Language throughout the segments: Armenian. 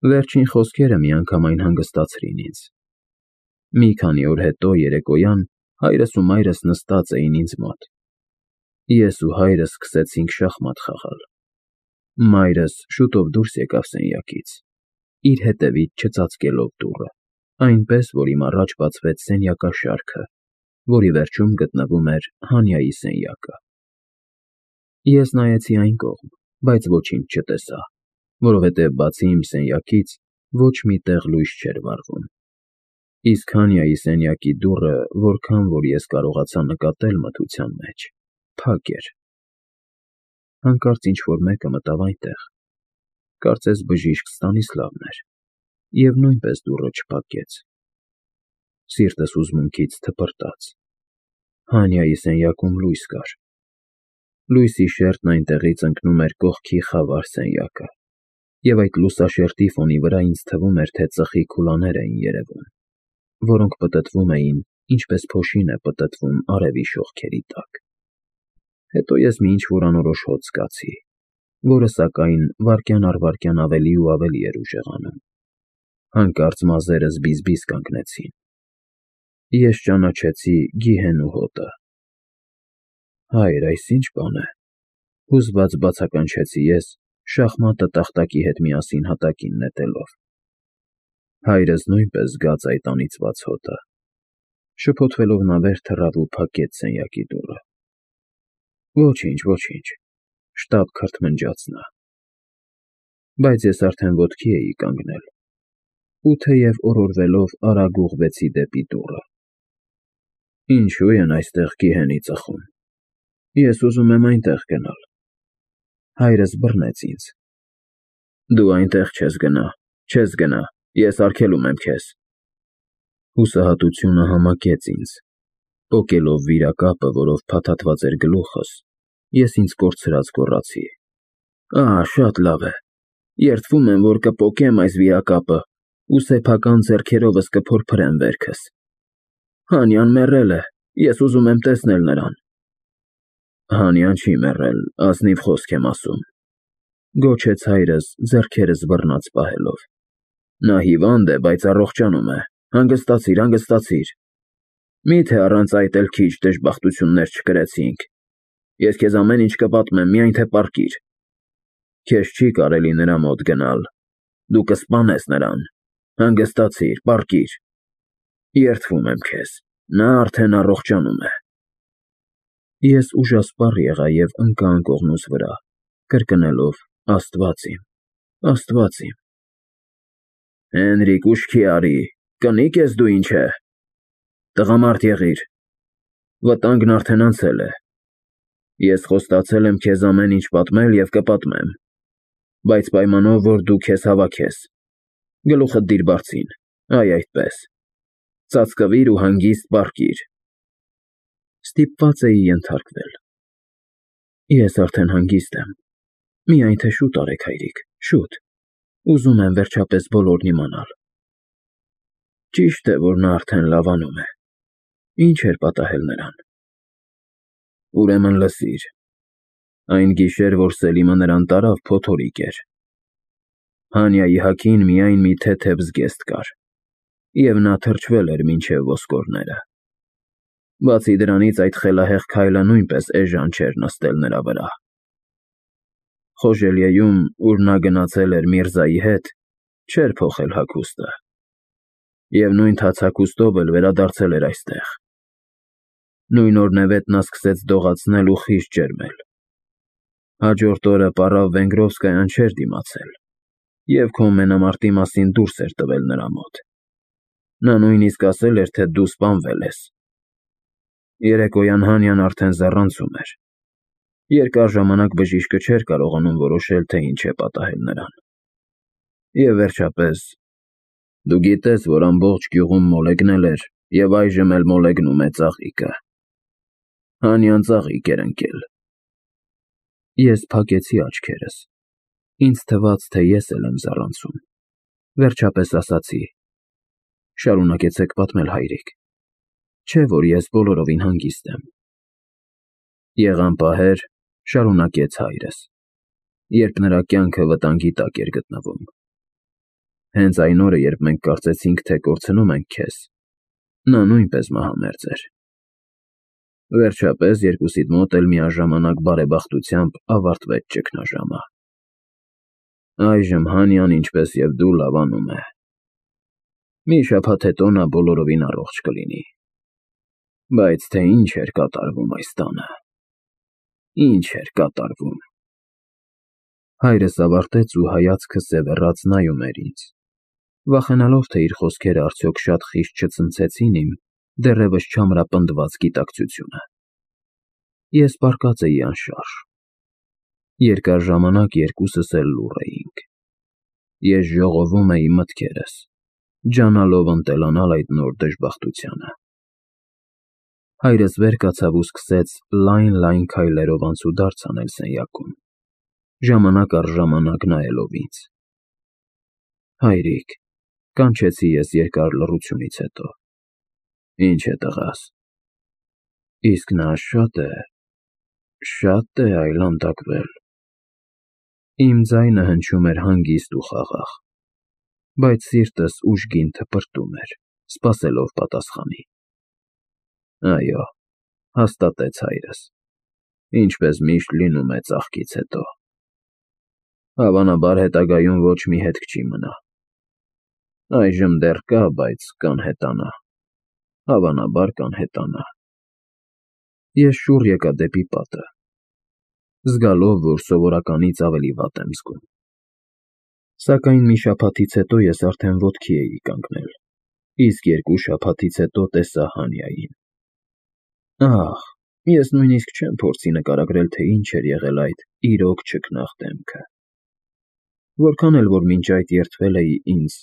Վերջին խոսքերը միանգամայն հանգստացրին ինձ։ Մի քանի օր հետո երեկոյան հայրս ու մայրս նստած էին ինձ մոտ։ Ես ու հայրս սկսեցինք շախմատ խաղալ։ Մայրս շուտով դուրս եկավ սենյակից, իր հետևից չծածկելով դուռը, այնպես, որ իմ առաջ բացվեց սենյակաշարքը, որի վերջում գտնվում էր Հանյայի սենյակը։ Ես նայեցի այն կողմ, բայց ոչինչ չտեսա, որովհետև բացի իմ սենյակից ոչ մի տեղ լույս չէր վառվում։ Իսկ Հանյայի սենյակի դուռը, որքան որ ես կարողացա նկատել մթության մեջ, փակ էր։ Հանկարծ ինչ-որ մեկը մտավ այնտեղ, կարծես բժիշկ Ստանիսլավն էր, և նույնպես դուռը չփակեց։ Սիրտս հուզմունքից թպրտաց։ Հանյայի սենյակում լույս կար։ Լույսի շերտն այնտեղից ընկնում էր կողքի խավար սենյակը, և այդ լուսաշերտի ֆոնի վրա ինձ թվում էր, թե ծխի քուլաներ էին երևում, որոնք պտտվում էին, ինչպես փոշին է պտտվում արևի շողքերի տակ։ Հետո ես մի ինչ-որ անորոշ հոտ զգացի, որը, սակայն, վայրկյան առ վայրկյան ավելի ու ավելի էր ուժեղանում։ Հանկարծ մազերս բիզ-բիզ կանգնեցին։ Ես ճանաչեցի գիհենու հոտը։ Հայր, այս ի՞նչ բան է, հուզված բացականչեցի ես, շախմատը տախտակի հետ միասին հատակին նետելով։ Հայրս նույնպես զգաց այդ անիծված հոտը։ Շփոթվելով նա վեր թռավ ու փակեց սենյակի դուռը։ Ոչինչ, ոչինչ, շտապ քրթմնջաց նա։ Բայց ես արդեն ոտքի էի կանգնել, ու թեև օրորվելով արագ ուղղվեցի դեպի դուռը։ Ինչո՞ւ են այստեղ գիհենի ծխում։ Ես ուզում եմ այնտեղ գնալ։ Հայրս բռնեց ինձ։ Դու այնտեղ չես գնա, ես արգելում եմ քեզ։ Հուսահատությունը համակեց ինձ։ Պոկելով վիրակապը, որով փաթաթված էր գլուխս, ես ինձ կորցրած գոռացի. Ահա, շատ լավ է։ Երդվում եմ, որ կպոկեմ այս վիրակապը ու սեփական ձեռքերովս կփորփրեմ վերքս։ Հանյան մեռել է, ես ուզում եմ տեսնել նրան։ Հանյան չի մեռել, ազնիվ խոսք եմ ասում, գոչեց հայրս, ձեռքերս բռնած պահելով։ Նա հիվանդ է, բայց առողջանում է, հանգստացիր։ Միթե առանց այդ էլ քիչ դժբախտություններ չկրեցինք։ Ես քեզ ամեն ինչ կպատմեմ, միայն թե պառկիր։ Քեզ չի կարելի նրա մոտ գնալ, դու կսպանես նրան, հանգստացիր, պառկիր։ Երդվում եմ քեզ, նա արդեն առողջանում է։ Ես ուժասպառ եղա և ընկա անկողնուս վրա, կրկնելով. Աստված իմ։ Հենրիկ, ուշքի արի, կնիկ ես դու ինչ է։ Տղամարդ եղիր, վտանգն արդեն անցել է։ Ես խոստացել եմ քեզ ամեն ինչ պատմել և կպատմեմ, բայց պայմանով, որ դու քեզ հավաքես։ Գլուխդ դիր բարձին, այ այդպես, ծածկվիր ու հանգիստ պառկիր։ Ստիպված էի ենթարկվել։ Ես արդեն հանգիստ եմ, միայն թե շուտ արեք, հայրիկ, շուտ, ուզում եմ վերջապես բոլորն իմանալ։ Ճիշտ է, որ նա արդեն լավանում է։ Ինչ էր պատահել նրան։ Ուրեմն լսիր, այն գիշեր, որ Սելիմը նրան տարավ, փոթորիկ էր։ Հանյայի հագին միայն մի թեթև զգեստ կար, և նա թրջվել էր մինչև ոսկորները։ Բացի դրանից, այդ խելահեղ քայլը նույնպես էժան չէր նստել նրա վրա։ Խոժելիեում, ուր նա գնացել էր Միրզայի հետ, չէր փոխել հագուստը, և նույն թաց հագուստով էլ վերադարձել էր այստեղ։ Նույն օրնևետ նա սկսեց դողացնել ու խիստ ջերմել։ Հաջորդ օրը պառավ Վենգրովսկայան չէր դիմացել, և քո մենամարտի մասին դուրս էր տվել նրա մոտ։ Նա նույնիսկ ասել էր, թե դու սպանվել ես։ Երեկոյան Հանյան արդեն զառանցում էր։ Երկար ժամանակ բժիշկը չէր կարողանում որոշել, թե ինչ է պատահել նրան։ Եվ վերջապես, դու գիտես, որ ամբողջ գյուղում մոլեգնել էր և այժմ էլ մոլեգնում է ծաղիկը։ Հանյան ծաղիկ էր ընկել։ Ես փակեցի աչքերս։ Ինձ թվաց, թե ես էլ եմ զառանցում։ Վերջապես ասացի. Շարունակեցեք պատմել, հայրիկ, չէ՞ որ ես բոլորովին հանգիստ եմ։ Եղան պահեր, շարունակեց հայրս, երբ նրա կյանքը վտանգի տակ էր գտնվում։ Հենց այն օրը, երբ մենք կարծեցինք, թե կորցնում ենք քեզ, նա նույնպես մահամերձ էր։ Վերջապես երկուսիդ մոտ էլ միաժամանակ բարեբախտությամբ ավարտվեց ճգնաժամը։ Այժմ Հանյան, ինչպես և դու, լավանում է։ Մի շաբաթ հետո նա բոլորովին առողջ կլինի։ Բայց թե ինչ էր կատարվում այս տանը։ Ինչ էր կատարվում։ Հայրս ավարտեց ու հայացքը սևեռած նայում էր ինձ, վախենալով, թե իր խոսքերը արդյոք շատ խիստ չցնցեցին իմ դեռևս չամրապնդված գիտակցությունը։ Ես պառկած էի անշարժ։ Երկար ժամանակ երկուսս էլ լուռ էինք։ Ես ժողովում էի մտքերս, ջանալով ընտելանալ այդ նոր դժբախտությանը։ Հայրս վեր կացավ ու սկսեց լայն քայլերով անցուդարձ անել սենյակում, ժամանակ առ ժամանակ նայելով ինձ։ Հայրիկ, կանչեցի ես երկար լռությունից հետո։ Ինչ է տղաս։ Իսկ նա շատ է այլանդակվել։ Իմ ձայնը հնչում էր հանգիստ ու խաղաղ, բայց սիրտս ուժգին թպրտում էր, սպասելով պատասխանի։ Այո, հաստատեց հայրս, ինչպես միշտ լինում է ծաղկից հետո։ Հավանաբար հետագայում ոչ մի հետք չի մնա։ Այժմ դեռ կա, բայց կանհետանա։ Հավանաբար կանհետանա։ Ես շուռ եկա դեպի պատը, զգալով, որ սովորականից ավելի վատ եմ զգում։ Սակայն մի շաբաթից հետո ես արդեն ոտքի էի կանգնել, իսկ 2 շաբաթից հետո տեսա Հանյային։ Ահ, ես նույնիսկ չեմ փորձի նկարագրել, թե ինչ էր եղել այդ իրոք չքնաղ դեմքը։ Որքան էլ որ մինչ այդ երդվել էի ինձ,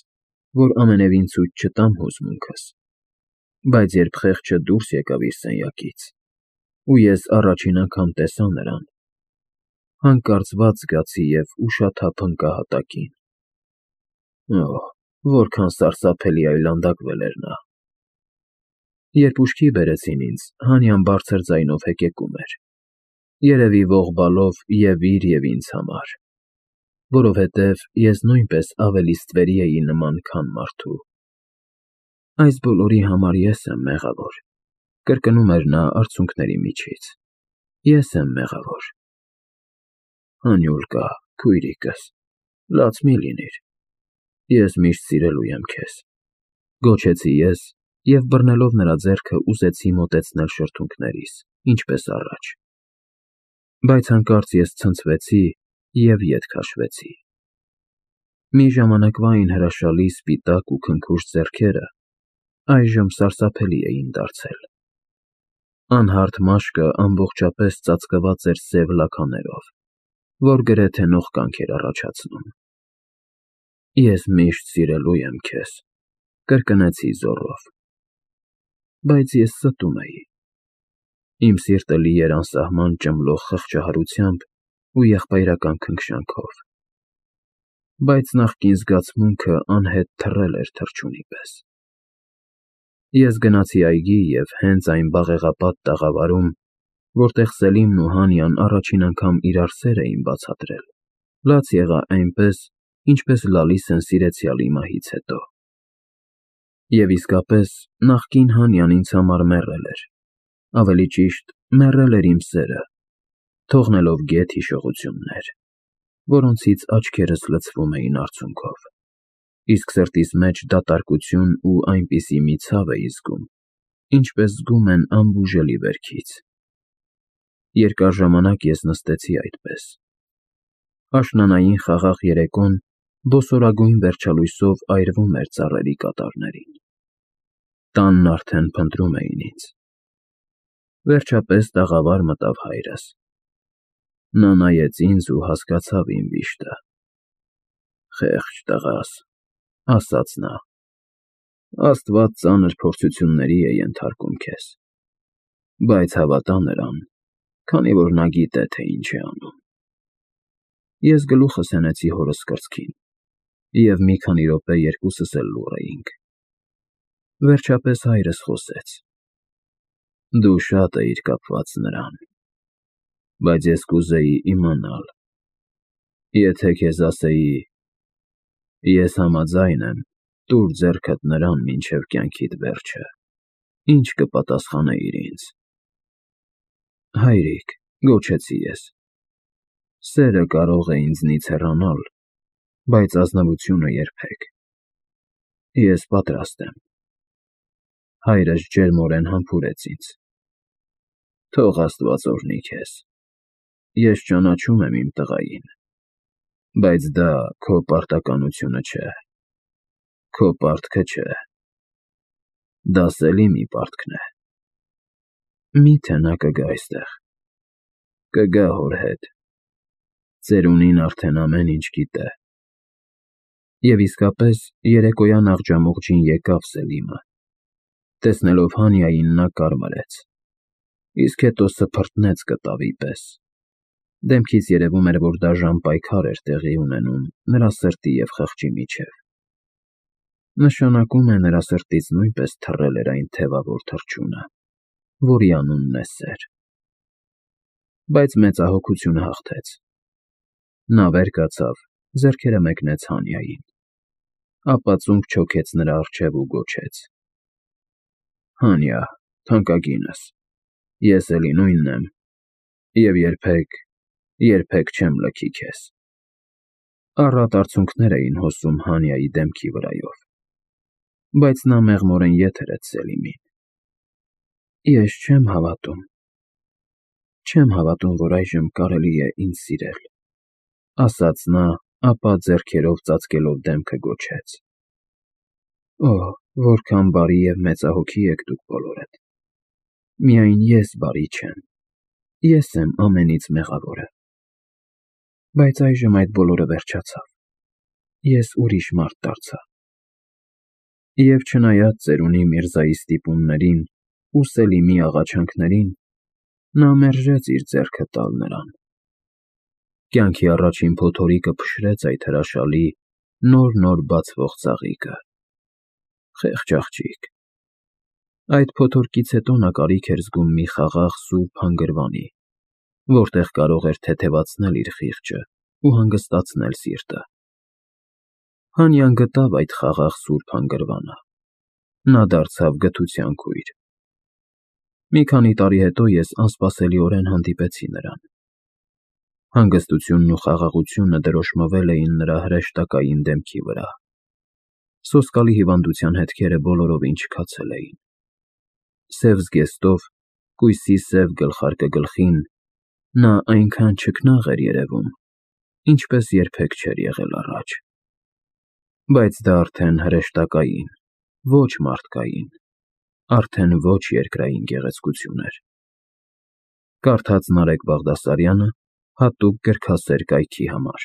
որ ամենևին ցույց չտամ հուզմունքս, բայց երբ խեղճը դուրս եկավ իր սենյակից, ու ես առաջին անգամ տեսա նրան, հանկարծ վատ զգացի և ուշաթափ ընկա հատակին։ Օհ, որքան սարսափելի այլանդակվել էր նա։ Երբ ուշքի բերեցին ինձ, Հանյան բարձր ձայնով հեկեկում էր, երևի ողբալով և իր և ինձ համար, որովհետև ես նույնպես ավելի ստվերի էի նման, քան մարդու։ Այս բոլորի համար ես եմ մեղավոր, կրկնում էր նա արցունքների միջից։ Ես եմ մեղավոր։ Հանյուլկա, քույրիկս, լաց մի լինիր։ Ես միշտ սիրելու եմ քեզ, գոչեցի ես և բռնելով նրա ձեռքը ուզեցի մոտեցնել շրթունքներիս, ինչպես առաջ։ Բայց հանկարծ ես ցնցվեցի և ետ քաշվեցի։ Մի ժամանակվա այն հրաշալի սպիտակ ու քնքուշ ձեռքերը այժմ սարսափելի էին դարձել։ Անհարթ մաշկը ամբողջապես ծածկված էր սև լաքաներով, որ գրեթե նողկանք էր առաջացնում։ Ես միշտ սիրելու եմ քեզ, կրկնեցի զոռով։ Բայց ես ստում էի։ Իմ սիրտը լի էր անսահման ճմլող խղճահարությամբ ու եղբայրական քնքշանքով։ Բայց նախկին զգացմունքը անհետ թռել էր թռչունի պես։ Ես գնացի այգի և հենց այն բաղեղապատ տաղավարում, որտեղ Սելիմն ու Հանյան առաջին անգամ իրար սեր էին բացատրել, լաց եղա այնպես, ինչպես լալիս են սիրեցյալի մահից հետո։ Եվ իսկապես, նախկին Հանյան ինձ համար մեռել էր, ավելի ճիշտ, մեռել էր իմ սերը, թողնելով գեթ հիշողություններ, որոնցից աչքերս լցվում էին արցունքով, իսկ սրտիս մեջ դատարկություն ու այնպիսի մի ցավ էի զգում, ինչպես զգում են անբուժելի վերքից։ Երկար ժամանակ ես նստեցի այդպես։ Աշնանային խաղաղ երեկոն բոսորագույն վերջալույսով այրվում էր ծառերի կատարներին։ Տանն արդեն փնտրում էին ինձ։ Վերջապես տաղավար մտավ հայրս։ Նա նայեց ինձ ու հասկացավ իմ վիշտը։ Խեղճ տղաս, ասաց նա, Աստված ծանր փորձությունների է ենթարկում քեզ, բայց հավատա նրան, քանի որ նա գիտե, թե ինչ է անում։ Ես գլուխս հենեցի հորս կրծքին, և մի քանի րոպե երկուսս էլ լուռ էինք։ Վերջապես հայրս խոսեց. Դու շատ էիր կապված նրան, բայց ես կուզեի իմանալ, եթե քեզ ասեի, Ես համաձայն եմ, տուր ձեռքդ նրան մինչև կյանքիդ վերջը, ինչ կպատասխանեիր ինձ։ Հայրիկ, գոչեցի ես, սերը կարող է ինձնից հեռանալ, բայց ազնվությունը երբեք։ Ես պատրաստ եմ։ Հայրս ջերմորեն համբուրեց ինձ։ Թող Աստված օրհնի քեզ։ Ես ճանաչում եմ իմ տղային, բայց դա քո պարտականությունը չէ, քո պարտքը չէ, դա Սելիմի պարտքն է։ Մի՞թե նա կգա այստեղ։ Կգա հոր հետ։ Ծերունին արդեն ամեն ինչ գիտե։ Եվ իսկապես երեկոյան աղջամուղջին եկավ Սելիմը։ Տեսնելով Հանիային նա կարմրեց, իսկ հետո սփռտնեց կտավի պես։ Դեմքից երևում էր, որ դաժան պայքար էր տեղի ունենում նրա սրտի և խղճի միջև։ Նշանակում է նրա սրտից նույնպես թռել էր այն թևավոր թռչունը, որի անունն է սեր։ Բայց մեծահոգությունը հաղթեց։ Նա վեր կացավ, ձեռքերը մեկնեց Հանիային, ապա ծունկ չոքեց նրա առջև ու գոչեց. Հանիա, թանկագինս, ես էլի նույնն եմ և երբեք չեմ լքի քեզ։ Առատ արցունքներ էին հոսում Հանիայի դեմքի վրայով, բայց նա մեղմորեն ետ հրեց Սելիմին։ Ես չեմ հավատում, որ այժմ կարելի է ինձ սիրել, ասաց նա, ապա ձեռքերով ծածկելով դեմքը գոչեց. Օ, որքան բարի և մեծահոգի եք դուք բոլորդ։ Միայն ես բարի չեմ, ես եմ ամենից մեղավորը։ Բայց այժմ այդ բոլորը վերջացավ, ես ուրիշ մարդ դարձա։ Եվ չնայած ծերունի Միրզայի ստիպումներին ու Սելիմի աղաչանքներին, նա մերժեց իր ձեռքը տալ նրան։ Կյանքի առաջին փոթորիկը փշրեց այդ հրաշալի, նոր բացվող ծաղիկը։ Խեղճ աղջիկ։ Այդ փոթորկից հետո նա կարիք էր զգում մի խաղաղ սուրբ հանգրվանի, որտեղ կարող էր թեթևացնել իր խիղճը ու հանգստացնել սիրտը։ Հանիան գտավ այդ խաղաղ սուրբ հանգրվանը։ Նա դարձավ գթության քույր։ Մի քանի տարի հետո ես անսպասելիորեն հանդիպեցի նրան։ Հանգստությունն ու խաղաղությունը դրոշմվել էին նրա հրեշտակային դեմքի վրա։ Սոսկալի հիվանդության հետքերը բոլորովին չքացել էին։ Սև զգեստով, կույսի սև գլխարկը գլխին, նա այնքան չքնաղ էր երևում, ինչպես երբեք չէր եղել առաջ։ Բայց դա արդեն հրեշտակային, ոչ մարդկային, արդեն ոչ երկրային գեղեցկություն էր։ Կարդաց Նարեկ Բաղդասարյանը հատուկ գրքասեր կայքի համար։